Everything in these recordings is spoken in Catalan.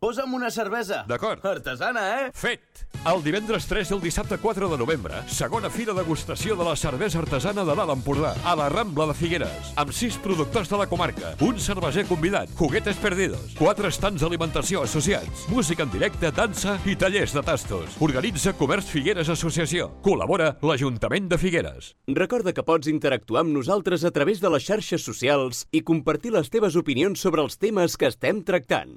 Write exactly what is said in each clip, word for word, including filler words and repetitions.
Posa'm una cervesa. D'acord. Artesana, eh? Fet! El divendres tres i el dissabte quatre de novembre, segona fira degustació de la cervesa artesana de l'Alt Empordà, a la Rambla de Figueres, amb sis productors de la comarca, un cerveser convidat, juguetes perdidos, quatre estants d'alimentació associats, música en directe, dansa i tallers de tastos. Organitza Comerç Figueres Associació. Col·labora l'Ajuntament de Figueres. Recorda que pots interactuar amb nosaltres a través de les xarxes socials i compartir les teves opinions sobre els temes que estem tractant.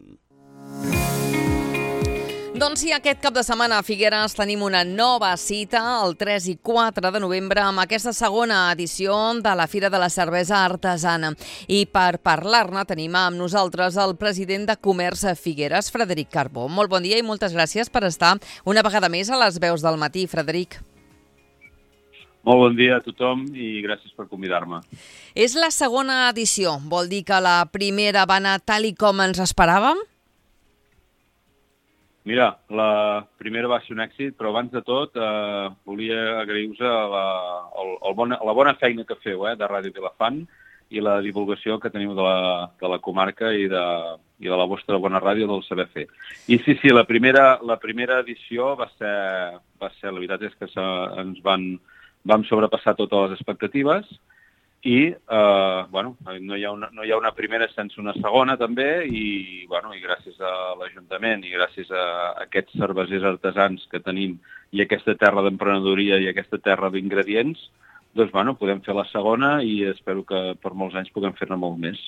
Doncs sí, aquest cap de setmana a Figueres tenim una nova cita, el tres i quatre de novembre, amb aquesta segona edició de la Fira de la Cervesa Artesana. I per parlar-ne tenim amb nosaltres el president de Comerç a Figueres, Frederic Carbó. Molt bon dia i moltes gràcies per estar una vegada més a les veus del matí, Frederic. Molt bon dia a tothom i gràcies per convidar-me. És la segona edició, vol dir que la primera va anar tal i com ens esperàvem? Mira, la primera va ser un èxit, però abans de tot eh, volia agrair-vos la, el, el bona, la bona feina que feu eh, de Ràdio Vilafant i la divulgació que teniu de la, de la comarca i de, i de la vostra bona ràdio del saber fer. I sí, sí, la primera, la primera edició va ser, va ser, la veritat és que se, ens van, vam sobrepassar totes les expectatives i eh, bueno, no hi ha una, no hi ha una primera sense una segona també i, bueno, i gràcies a l'Ajuntament i gràcies a aquests cervesers artesans que tenim i aquesta terra d'emprenedoria i aquesta terra d'ingredients, doncs bueno, podem fer la segona i espero que per molts anys puguem fer-ne molt més.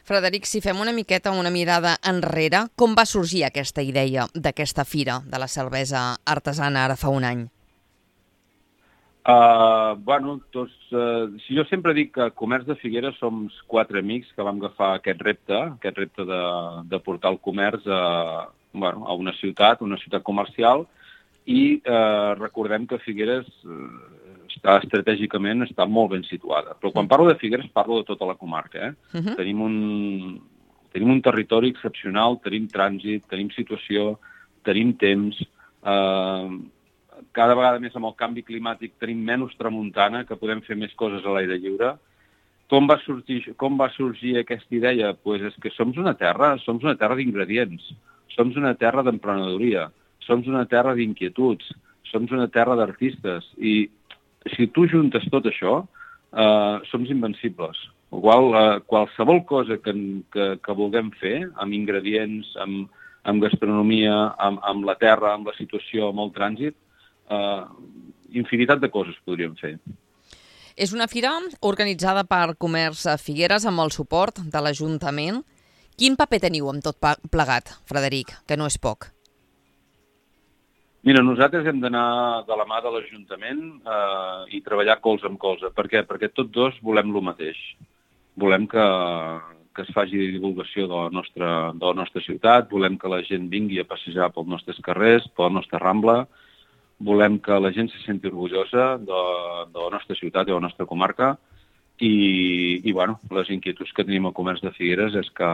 Frederic, si fem una miqueta una mirada enrere, com va sorgir aquesta idea d'aquesta fira de la cervesa artesana ara fa un any? Uh, bueno, doncs, uh, si jo sempre dic que a Comerç de Figueres som quatre amics que vam agafar aquest repte, aquest repte de, de portar el comerç a, bueno, a una ciutat, una ciutat comercial, i uh, recordem que Figueres uh, està estratègicament està molt ben situada. Però quan parlo de Figueres parlo de tota la comarca. Eh? Uh-huh. Tenim, un, tenim un territori excepcional, tenim trànsit, tenim situació, tenim temps. Uh, cada vegada més amb el canvi climàtic tenim menys tramuntana, que podem fer més coses a l'aire lliure. Com va sorgir, com va sorgir aquesta idea? Pues és que som una terra, som una terra d'ingredients, som una terra d'emprenedoria, som una terra d'inquietuds, som una terra d'artistes. I si tu juntes tot això, eh, som invencibles. Igual, eh, qualsevol cosa que, que, que vulguem fer, amb ingredients, amb, amb gastronomia, amb, amb la terra, amb la situació, amb el trànsit, Uh, infinitat de coses podríem fer. És una fira organitzada per Comerç a Figueres amb el suport de l'Ajuntament. Quin paper teniu amb tot plegat, Frederic, que no és poc? Mira, nosaltres hem d'anar de la mà de l'Ajuntament uh, i treballar colze amb colze. Per què? Perquè tots dos volem el mateix. Volem que, que es faci divulgació de la, nostra, de la nostra ciutat, volem que la gent vingui a passejar pels nostres carrers, per la nostra Rambla. Volem que la gent se senti orgullosa de, de la nostra ciutat i de la nostra comarca i, i bueno, les inquietuds que tenim al Comerç de Figueres és que,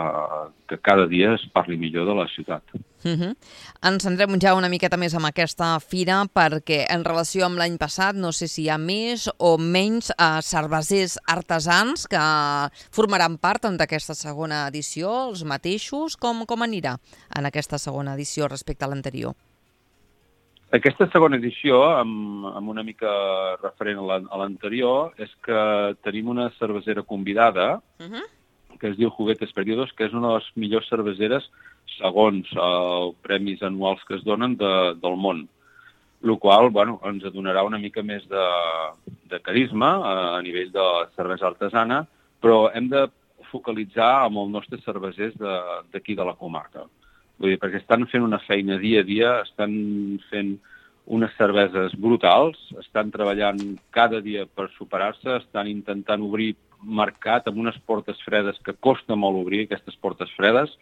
que cada dia es parli millor de la ciutat. Uh-huh. Ens centrem ja una miqueta més amb aquesta fira perquè en relació amb l'any passat no sé si hi ha més o menys eh, cervesers artesans que formaran part d'aquesta segona edició, els mateixos, com, com anirà en aquesta segona edició respecte a l'anterior? Aquesta segona edició, amb, amb una mica referent a l'anterior, és que tenim una cervesera convidada, uh-huh. que es diu Juguetes Perdidos, que és una de les millors cerveseres segons els premis anuals que es donen de, del món. El qual, bueno, ens donarà una mica més de, de carisma a, a nivell de cervesa artesana, però hem de focalitzar amb els nostres cervesers d'aquí de, de la comarca. Vull dir, perquè estan fent una feina dia a dia, estan fent unes cerveses brutals, estan treballant cada dia per superar-se, estan intentant obrir mercat amb unes portes fredes que costa molt obrir, aquestes portes fredes,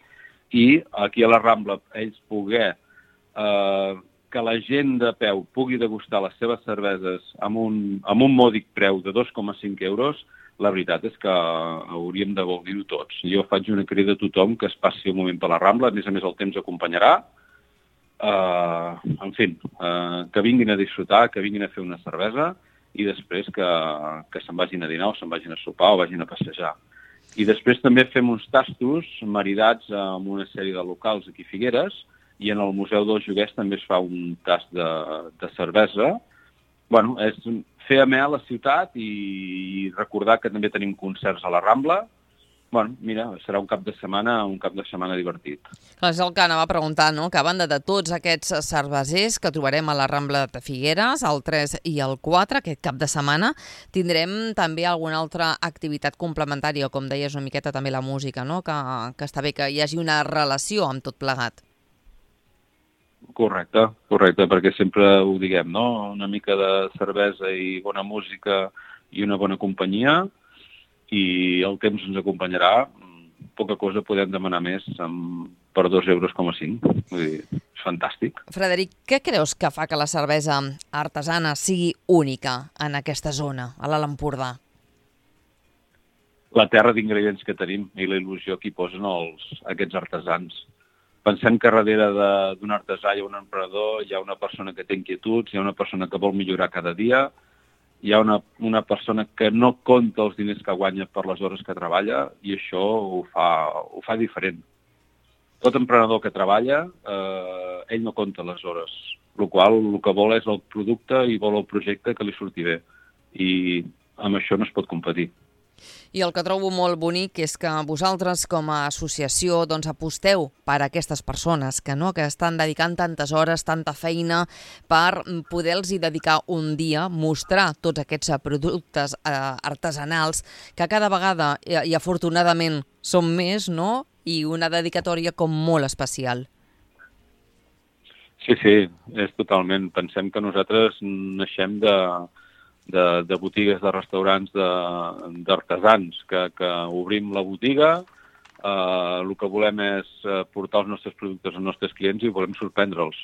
i aquí a la Rambla ells poder eh, que la gent de peu pugui degustar les seves cerveses amb un, amb un mòdic preu de dos coma cinc euros, la veritat és que hauríem de gaudir-ho tots. Jo faig una crida a tothom que es passi un moment per la Rambla, a més a més el temps acompanyarà. Uh, en fi, uh, que vinguin a disfrutar, que vinguin a fer una cervesa i després que, que se'n vagin a dinar o se'n vagin a sopar o vagin a passejar. I després també fem uns tastos maridats amb una sèrie de locals aquí a Figueres, i en el Museu dels Joguers també es fa un tast de, de cervesa. Bueno, és fer amè a la ciutat i recordar que també tenim concerts a la Rambla. Bueno, mira, serà un cap de setmana, un cap de setmana divertit. Clar, és el que anava a preguntar, no? Que a banda de tots aquests cervesers que trobarem a la Rambla de Figueres, el tres i el quatre, aquest cap de setmana, tindrem també alguna altra activitat complementària, com deies una miqueta també la música, no? Que, que està bé que hi hagi una relació amb tot plegat. Correcte, correcte, perquè sempre ho diguem, no? Una mica de cervesa i bona música i una bona companyia, i el temps ens acompanyarà. Poca cosa podem demanar més amb, per dos euros coma cinc. Vull dir, és fantàstic. Frederic, què creus que fa que la cervesa artesana sigui única en aquesta zona, a l'Alt Empordà? La terra d'ingredients que tenim i la il·lusió que hi posen els, aquests artesans. Pensem que darrere d'un artesà hi ha un emprenedor, hi ha una persona que té inquietuds, hi ha una persona que vol millorar cada dia, hi ha una, una persona que no compta els diners que guanya per les hores que treballa, i això ho fa, ho fa diferent. Tot emprenedor que treballa, eh, ell no compta les hores, el qual el que vol és el producte i vol el projecte que li surti bé. I amb això no es pot competir. I el que trobo molt bonic és que vosaltres com a associació doncs, aposteu per aquestes persones que, no, que estan dedicant tantes hores, tanta feina per poder-los dedicar un dia, mostrar tots aquests productes eh, artesanals que cada vegada, i, i afortunadament, són més, no? I una dedicatòria com molt especial. Sí, sí, és totalment. Pensem que nosaltres naixem de... De, de botigues, de restaurants, d'artesans, que, que obrim la botiga, eh, el que volem és portar els nostres productes als nostres clients i volem sorprendre'ls.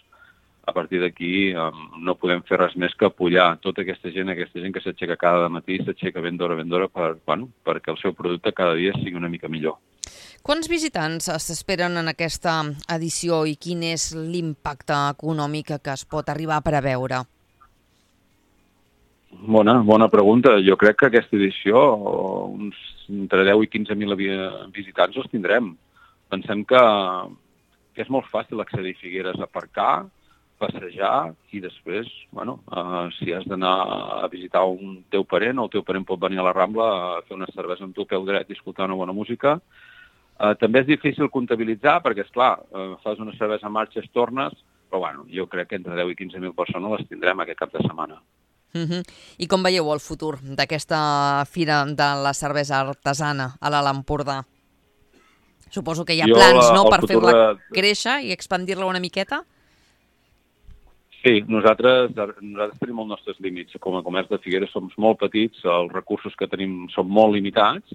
A partir d'aquí eh, no podem fer res més que apoyar tota aquesta gent, aquesta gent que s'aixeca cada matí, s'aixeca ben d'hora, ben d'hora, per, bueno, perquè el seu producte cada dia sigui una mica millor. Quants visitants s'esperen en aquesta edició i quin és l'impacte econòmic que es pot arribar a preveure? Bona, bona pregunta. Jo crec que aquesta edició, uns entre deu i quinze mil visitants els tindrem. Pensem que, que és molt fàcil accedir a Figueres, aparcar, passejar i després, bueno, uh, si has d'anar a visitar un teu parent, el teu parent pot venir a la Rambla a fer una cervesa amb tu peu dret i escoltar una bona música. Uh, també és difícil comptabilitzar perquè, esclar, uh, fas una cervesa en marxa, es tornes, però bueno, jo crec que entre deu i quinze mil persones les tindrem aquest cap de setmana. Uh-huh. I com veieu el futur d'aquesta fira de la cervesa artesana a l'Alt Empordà? Suposo que hi ha jo, plans, no?, per fer-la de... créixer i expandir-la una miqueta? Sí, nosaltres, nosaltres tenim els nostres límits. Com a comerç de Figueres som molt petits, els recursos que tenim són molt limitats.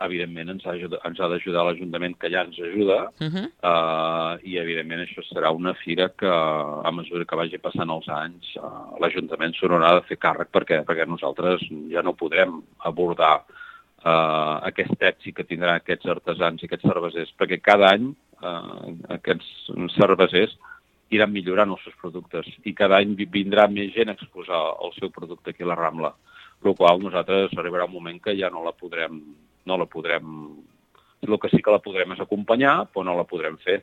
Evidentment ens ha, ens ha d'ajudar l'Ajuntament, que ja ens ajuda, uh-huh. uh, i evidentment això serà una fira que a mesura que vagi passant els anys uh, l'Ajuntament s'ho haurà de fer càrrec perquè, perquè nosaltres ja no podrem abordar uh, aquest èxit que tindran aquests artesans i aquests cervesers, perquè cada any uh, aquests cervesers iran millorant els seus productes i cada any vindrà més gent a exposar el seu producte aquí a la Rambla, el qual nosaltres arribarà un moment que ja no la podrem no la podrem... El que sí que la podrem és acompanyar, però no la podrem fer,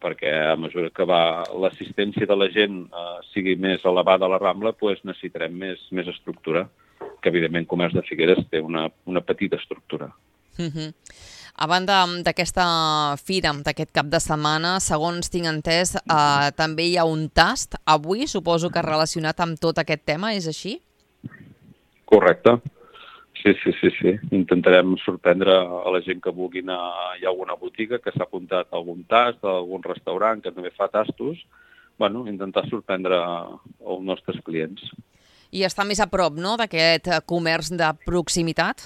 perquè a mesura que va l'assistència de la gent eh, sigui més elevada a la Rambla, doncs necessitarem més, més estructura, que evidentment Comerç de Figueres té una, una petita estructura. Uh-huh. A banda d'aquesta fira, d'aquest cap de setmana, segons tinc entès, eh, també hi ha un tast avui, suposo que relacionat amb tot aquest tema, és així? Correcte. Sí, sí, sí, sí. Intentarem sorprendre a la gent que vulgui anar. Hi ha alguna botiga que s'ha apuntat a algun tast, a algun restaurant que també fa tastos. Bueno, intentar sorprendre els nostres clients. I està més a prop, no?, d'aquest comerç de proximitat?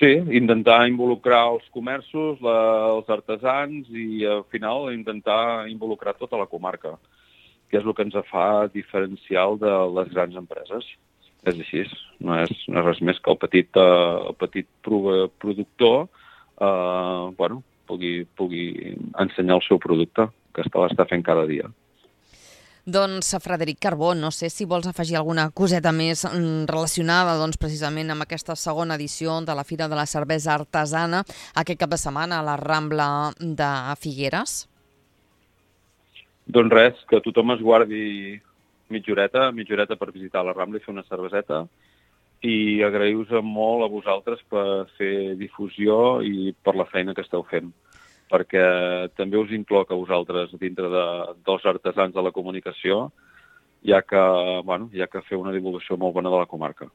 Sí, intentar involucrar els comerços, la, els artesans i al final intentar involucrar tota la comarca, que és el que ens fa diferencial de les grans empreses. És així, no és, no és res més que el petit, uh, el petit productor uh, bueno, pugui, pugui ensenyar el seu producte, que l'està fent cada dia. Doncs, Frederic Carbó, no sé si vols afegir alguna coseta més relacionada doncs, precisament amb aquesta segona edició de la Fira de la Cervesa Artesana aquest cap de setmana a la Rambla de Figueres. Doncs res, que tothom es guardi mitja horeta, mitja horeta per visitar la Rambla i fer una cerveseta, i agrair-vos molt a vosaltres per fer difusió i per la feina que esteu fent, perquè també us incloc a vosaltres dintre de, dels artesans de la comunicació, ja que, bueno, ja que feu una divulgació molt bona de la comarca.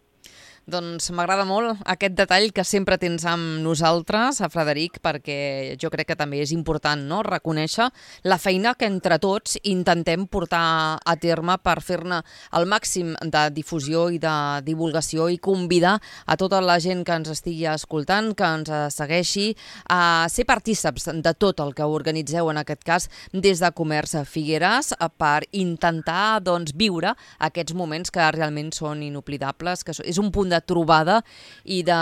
Doncs m'agrada molt aquest detall que sempre tens amb nosaltres, a Frederic, perquè jo crec que també és important, no?, reconèixer la feina que entre tots intentem portar a terme per fer-ne el màxim de difusió i de divulgació i convidar a tota la gent que ens estigui escoltant, que ens segueixi, a ser partíceps de tot el que organitzeu, en aquest cas, des de Comerç Figueres, per intentar doncs, viure aquests moments que realment són inoblidables, que és un punt de trobada i de,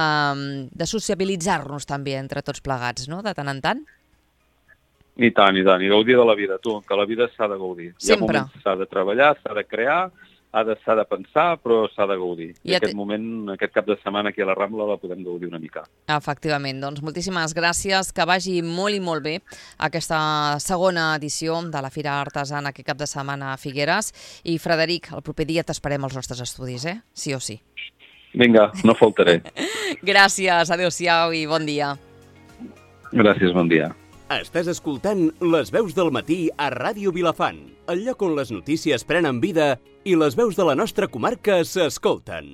de sociabilitzar-nos també entre tots plegats, no?, de tant en tant. I tant, i tant, i gaudir de la vida, tu, que la vida s'ha de gaudir. Sempre. Hi ha moments s'ha de treballar, s'ha de crear, s'ha de, de pensar, però s'ha de gaudir. I, I aquest te... moment, aquest cap de setmana aquí a la Rambla la podem gaudir una mica. Efectivament, doncs moltíssimes gràcies, que vagi molt i molt bé aquesta segona edició de la Fira Artesana aquest cap de setmana a Figueres. I Frederic, el proper dia t'esperem als nostres estudis, eh? Sí o sí. Vinga, no faltaré. Gràcies, adéu-siau i bon dia. Gràcies, bon dia. Estàs escoltant Les Veus del Matí a Ràdio Vilafant, el lloc on les notícies prenen vida i les veus de la nostra comarca s'escolten.